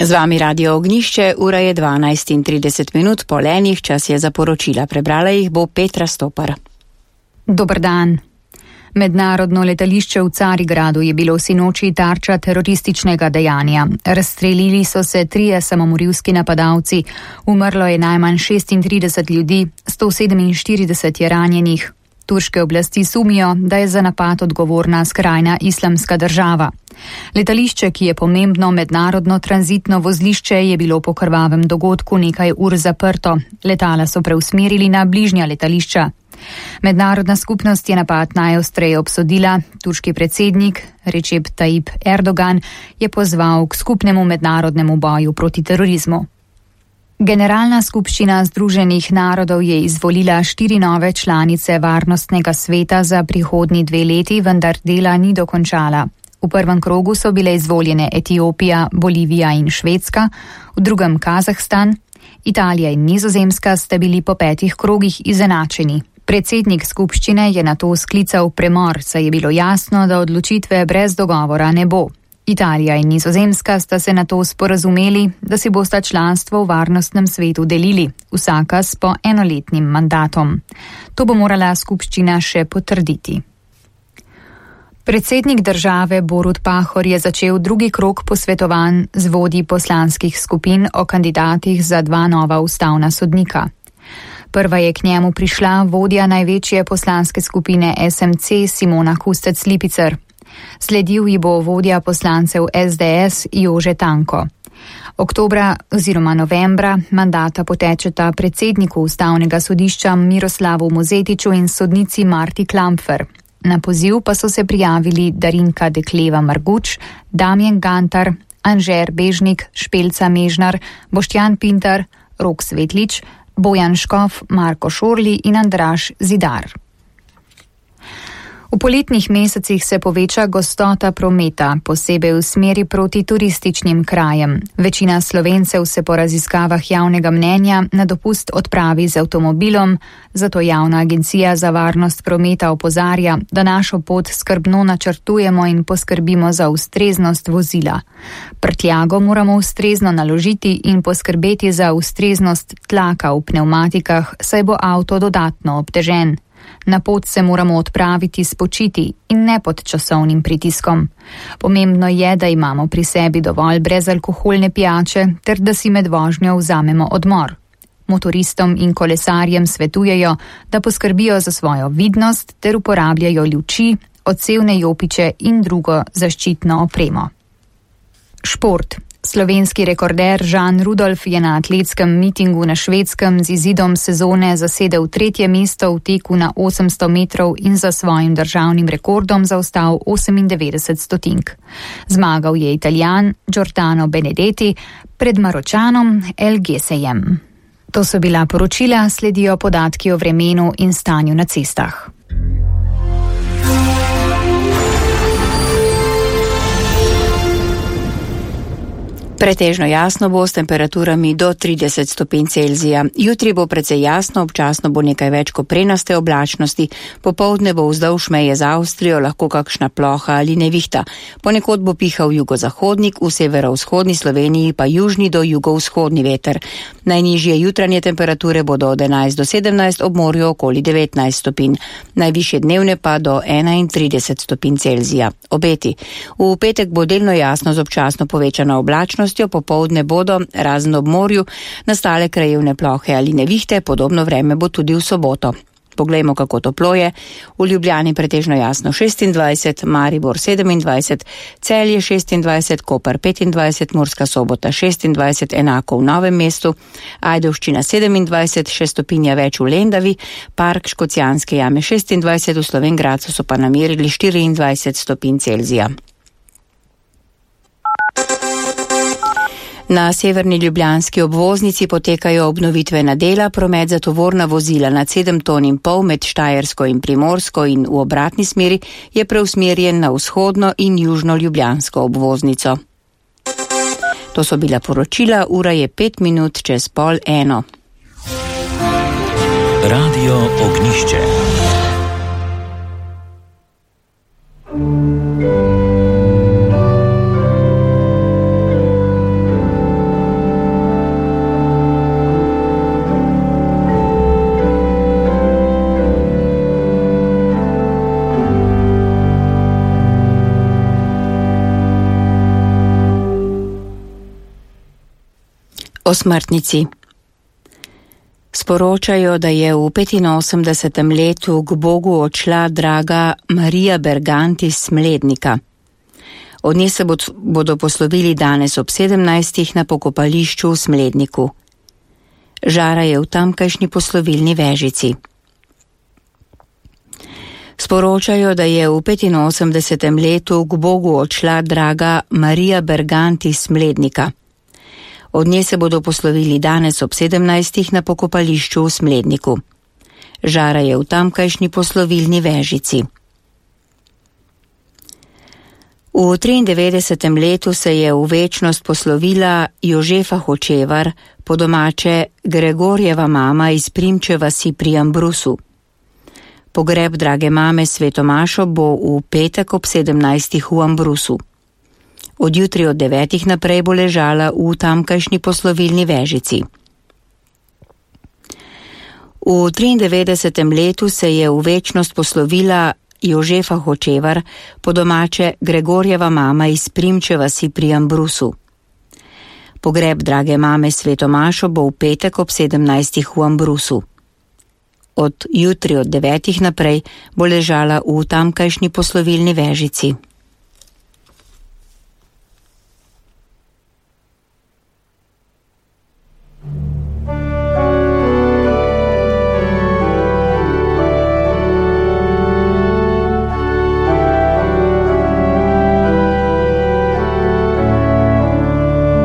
Z vami Radio Ognišče, ura je 12:30 po enih, čas je za poročila. Prebrala jih bo Petra Stopar. Dober dan. Mednarodno letališče v Carigradu je bilo sinoči tarča terorističnega dejanja. Razstrelili so se 3 samomorilski napadalci, umrlo je najmanj 36 ljudi, 147 je ranjenih. Turške oblasti sumijo, da je za napad odgovorna skrajna islamska država. Letališče, ki je pomembno mednarodno tranzitno vozlišče, je bilo po krvavem dogodku nekaj ur zaprto. Letala so preusmerili na bližnja letališča. Mednarodna skupnost je napad najostreje obsodila. Turški predsednik Recep Tayyip Erdogan je pozval k skupnemu mednarodnemu boju proti terorizmu. Generalna skupščina Združenih narodov je izvolila 4 nove članice Varnostnega sveta za prihodnji 2 leti, vendar dela ni dokončala. V prvem krogu so bile izvoljene Etiopija, Bolivija in Švedska, v drugem Kazahstan, Italija in Nizozemska sta bili po 5 krogih izenačeni. Predsednik skupščine je nato sklical premor, saj je bilo jasno, da odločitve brez dogovora ne bo. Italija in Nizozemska sta se nato sporazumeli, da si bosta članstvo v Varnostnem svetu delili, vsaka s po enoletnim mandatom. To bo morala skupščina še potrditi. Predsednik države Borut Pahor je začel drugi krog posvetovanj z vodji poslanskih skupin o kandidatih za 2 nova ustavna sodnika. Prva je k njemu prišla vodja največje poslanske skupine SMC Simona Kustec Lipicer. Sledil ji bo vodja poslancev SDS Jože Tanko. Oktobra oziroma novembra mandata potečeta predsedniku ustavnega sodišča Miroslavu Mozetiču in sodnici Marti Klampfer. Na poziv pa so se prijavili Darinka Dekleva Marguč, Damjan Gantar, Anžer Bežnik, Špelca Mežnar, Boštjan Pintar, Rok Svetlič, Bojan Škof, Marko Šorli in Andraž Zidar. V poletnih mesecih se poveča gostota prometa, posebej v smeri proti turističnim krajem. Večina Slovencev se po raziskavah javnega mnenja na dopust odpravi z avtomobilom, zato Javna agencija za varnost prometa opozarja, da našo pot skrbno načrtujemo in poskrbimo za ustreznost vozila. Prtljago moramo ustrezno naložiti in poskrbeti za ustreznost tlaka v pnevmatikah, saj bo avto dodatno obtežen. Na pot se moramo odpraviti spočiti in ne pod časovnim pritiskom. Pomembno je, da imamo pri sebi dovolj brezalkoholne pijače ter da si med vožnjo vzamemo odmor. Motoristom in kolesarjem svetujejo, da poskrbijo za svojo vidnost ter uporabljajo luči, odsevne jopiče in drugo zaščitno opremo. Šport. Slovenski rekorder Žan Rudolf je na atletskem mitingu na Švedskem z izidom sezone zasedel 3. mesto v teku na 800 metrov in za svojim državnim rekordom zaostal 98 stotink. Zmagal je Italijan Giordano Benedetti pred Maročanom El Gesejem. To so bila poročila, sledijo podatki o vremenu in stanju na cestah. Pretežno jasno bo s temperaturami do 30 stopinj Celzija. Jutri bo precej jasno, občasno bo nekaj več koprenaste oblačnosti, popoldne bo vzdolž meje z Avstrijo lahko kakšna ploha ali nevihta. Ponekod bo pihal jugozahodnik, v severovzhodni Sloveniji pa južni do jugovzhodni veter. Najnižje jutranje temperature bodo od 11 do 17, ob morju okoli 19 stopinj. Najvišje dnevne pa do 31 stopinj Celzija. Obeti. V petek bo delno jasno z občasno povečano oblačnost, popoldne bodo, razen ob morju, nastale krajevne plohe ali nevihte, podobno vreme bo tudi v soboto. Poglejmo, kako toplo je. V Ljubljani pretežno jasno 26, Maribor 27, Celje 26, Koper 25, Murska Sobota 26, enako v Novem mestu, Ajdovščina 27, 6 stopinja več v Lendavi, Park Škocjanske jame 26, v Slovenj Gradcu so pa namerili 24 stopinj Celzija. Na severni ljubljanski obvoznici potekajo obnovitvena dela, promet za tovorna vozila nad 7,5 ton med Štajersko in Primorsko in v obratni smeri je preusmerjen na vzhodno in južno ljubljansko obvoznico. To so bila poročila, ura je 5 minut čez 12:30. Radio Ognišče. O smrtnici. Sporočajo, da je v 85. letu k Bogu odšla draga Marija Bergant iz Smlednika. Od nje se bodo poslovili danes ob 17. na pokopališču v Smledniku. Žara je v tamkajšnji poslovilni vežici. Sporočajo, da je v 85. letu k Bogu odšla draga Marija Bergant iz Smlednika. Od nje se bodo poslovili danes ob 17. na pokopališču v Smledniku. Žara je v tamkajšnji poslovilni vežici. V 93. letu se je v večnost poslovila Jožefa Hočevar, po domače Gregorjeva mama iz Primče vasi pri Ambrusu. Pogreb drage mame Svetomašo bo v petek ob 17. v Ambrusu. Od jutri od 9. naprej bo ležala v tamkajšnji poslovilni vežici. V 93. letu se je v večnost poslovila Jožefa Hočevar, po domače Gregorjeva mama iz Primče vasi pri Ambrusu. Pogreb drage mame Svetomašo bo v petek ob 17. v Ambrusu. Od jutri od 9. naprej bo ležala v tamkajšnji poslovilni vežici.